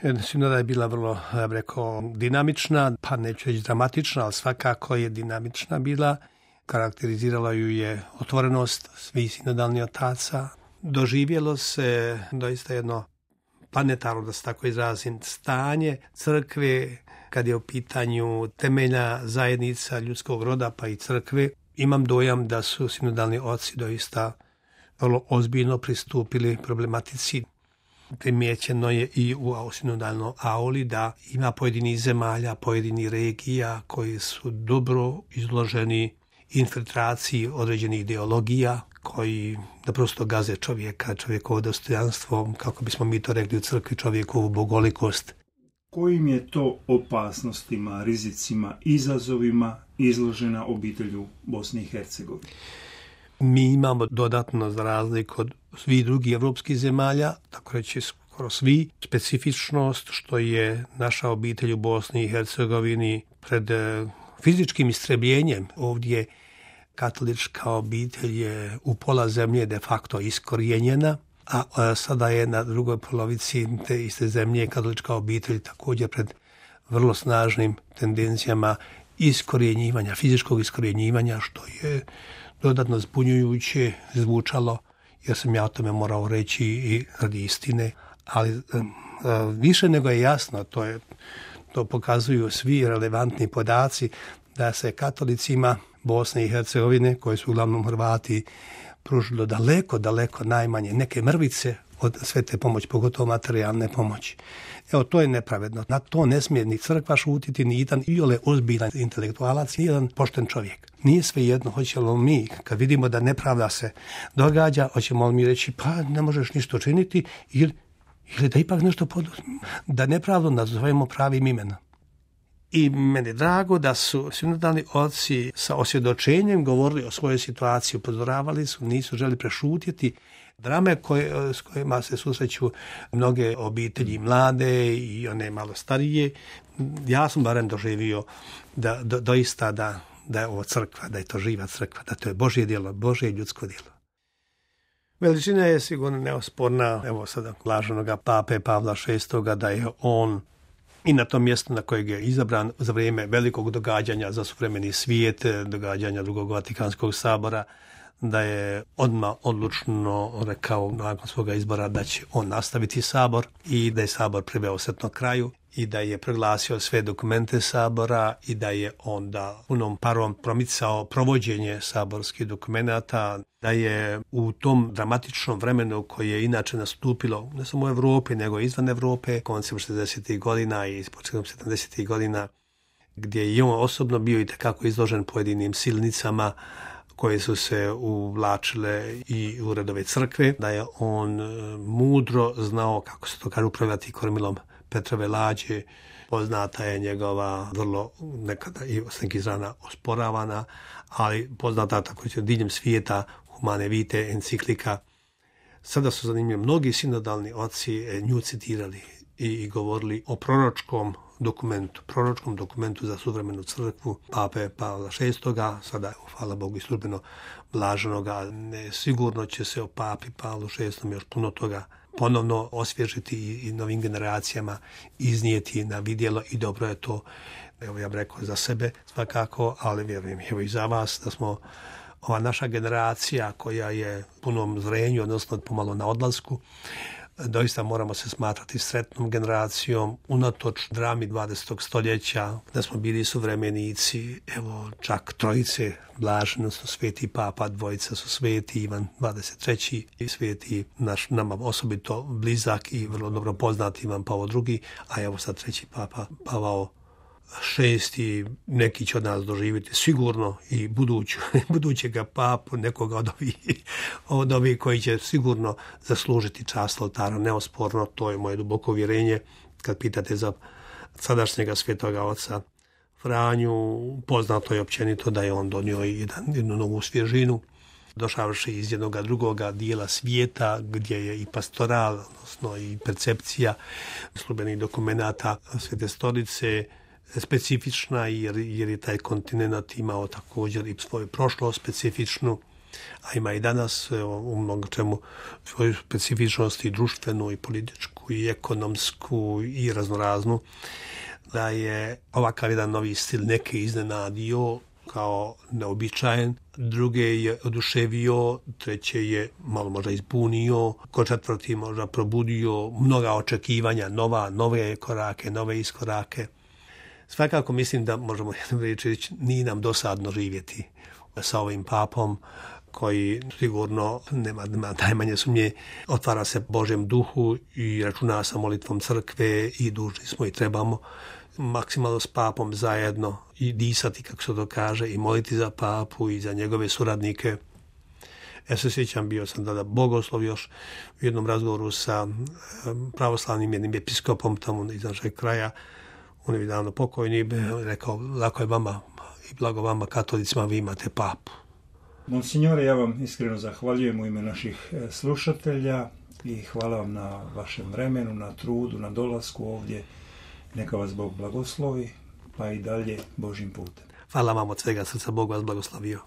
Sinoda je bila vrlo, ja bih rekao, dinamična, pa neću reći dramatična, ali svakako je dinamična bila. Karakterizirala ju je otvorenost svih sinodalnih otaca. Doživjelo se doista jedno planetarno, da se tako izrazim, stanje crkve kad je u pitanju temeljna zajednica ljudskog roda pa i crkve. Imam dojam da su sinodalni oci doista vrlo ozbiljno pristupili problematici. Primijećeno je i u sinodalnoj auli da ima pojedinih zemalja, pojedinih regija koji su dobro izloženi infiltraciji određenih ideologija koji naprosto gaze čovjeka, čovjekovo dostojanstvo, kako bismo mi to rekli u crkvi, čovjekovu bogolikost. Kojim je to opasnostima, rizicima, izazovima izložena obitelj u Bosni i Hercegovini? Mi imamo dodatno, za razliku od svih drugih evropskih zemalja, tako reći skoro svi, specifičnost što je naša obitelj u Bosni i Hercegovini pred fizičkim istrebljenjem. Ovdje katolička obitelj je u pola zemlje de facto iskorijenjena, a sada je na drugoj polovici te iste zemlje katolička obitelj također pred vrlo snažnim tendencijama iskorjenjivanja, fizičkog iskorjenjivanja, što je dodatno zbunjujuće zvučalo, jer sam ja o tome morao reći i radi istine, ali više nego je jasno, to pokazuju svi relevantni podaci, da se katolicima Bosne i Hercegovine, koji su uglavnom Hrvati, pružilo daleko najmanje neke mrvice od sve te pomoći, pogotovo materijalne pomoći. Evo, to je nepravedno. Na to ne smije ni crkva šutiti, ni jedan iole ozbiljan intelektualac, ni jedan pošten čovjek. Nije svejedno, hoćemo mi, kad vidimo da nepravda se događa, hoćemo li mi reći, pa ne možeš ništa učiniti, ili da ipak nešto poduzmemo, da nepravdu nazovemo pravim imenom. I meni je drago da su sinodalni oci sa osvjedočenjem govorili o svojoj situaciji, upozoravali su, nisu želi prešutjeti drame s kojima se susreću mnoge obitelji mlade i one malo starije. Ja sam barem doživio da doista da je ovo crkva, da je to živa crkva, da to je Božje djelo, Božje ljudsko djelo. Veličina je sigurno neosporna, evo sada blaženoga pape Pavla VI, da je on i na tom mjestu na kojeg je izabran za vrijeme velikog događanja za suvremeni svijet, događanja drugog Vatikanskog sabora, da je odmah odlučno rekao nakon svoga izbora da će on nastaviti sabor i da je sabor priveo sretno kraju i da je proglasio sve dokumente sabora i da je onda punom parom promicao provođenje saborskih dokumenata, da je u tom dramatičnom vremenu koje je inače nastupilo ne samo u Europi nego i izvan Europe, koncem 60. godina i početkom 70. godina, gdje je i on osobno bio itekako izložen pojedinim silnicama koje su se uvlačile i u redove crkve, da je on mudro znao, kako se to kaže, upravljati kormilom Petrove lađe. Poznata je njegova vrlo nekada i s nekih strana osporavana, ali poznata također diljem svijeta Humane Vitae enciklika. Sada su zanimljivi mnogi sinodalni oci nju citirali i govorili o proročkom dokumentu za suvremenu crkvu pape Pavla VI, sada hvala Bogu i službeno blaženoga. Sigurno će se o papi Pavlu VI još puno toga ponovno osvježiti i novim generacijama iznijeti na vidjelo i dobro je to, evo ja bih rekao za sebe svakako, ali vjerujem evo i za vas da smo ova naša generacija koja je punom zrenju, odnosno pomalo na odlasku, doista moramo se smatrati sretnom generacijom unatoč drami 20. stoljeća, da smo bili suvremenici, evo čak trojice blaženi, odnosno sveti papa, dvojica su sveti, Ivan 23. i sveti naš nama osobito blizak i vrlo dobro poznati Ivan Pavao II, a evo sad treći papa Pavao VI, neki će od nas doživjeti sigurno i budućega papu, nekoga od ovih koji će sigurno zaslužiti čast oltara, neosporno, to je moje duboko uvjerenje. Kad pitate za sadašnjega svetoga oca Franju, poznato je općenito da je on donio jednu novu svježinu, došavši iz jednog drugoga dijela svijeta gdje je i pastoral, odnosno i percepcija službenih dokumenata Svete stolice specifična, jer je taj kontinent imao također i svoju prošlost specifičnu. a ima i danas u mnogo čemu svoju specifičnost i društvenu i političku i ekonomsku i raznoraznu, da je ovakav jedan novi stil neke iznenadio kao neobičajen, druge je oduševio, treće je malo možda izbunio, ko četvrti možda probudio mnoga očekivanja, nove korake, nove iskorake. Svakako mislim da možemo reći, nije nam dosadno živjeti sa ovim papom koji sigurno nema najmanje sumnje, otvara se Božjem duhu i računa sa molitvom crkve i dužni smo i trebamo maksimalno s papom zajedno i disati, kako se to kaže, i moliti za papu i za njegove suradnike. Ja se sjećam, bio sam tada bogoslov još u jednom razgovoru sa pravoslavnim jednim episkopom tamo iz našeg kraja. On je davno pokojni, rekao, lako je vama i blago vama katolicima, vi imate papu. Monsignore, ja vam iskreno zahvaljujem u ime naših slušatelja i hvala vam na vašem vremenu, na trudu, na dolasku ovdje. Neka vas Bog blagoslovi, pa i dalje Božjim putem. Hvala vam od svega srca, Bog vas blagoslovio.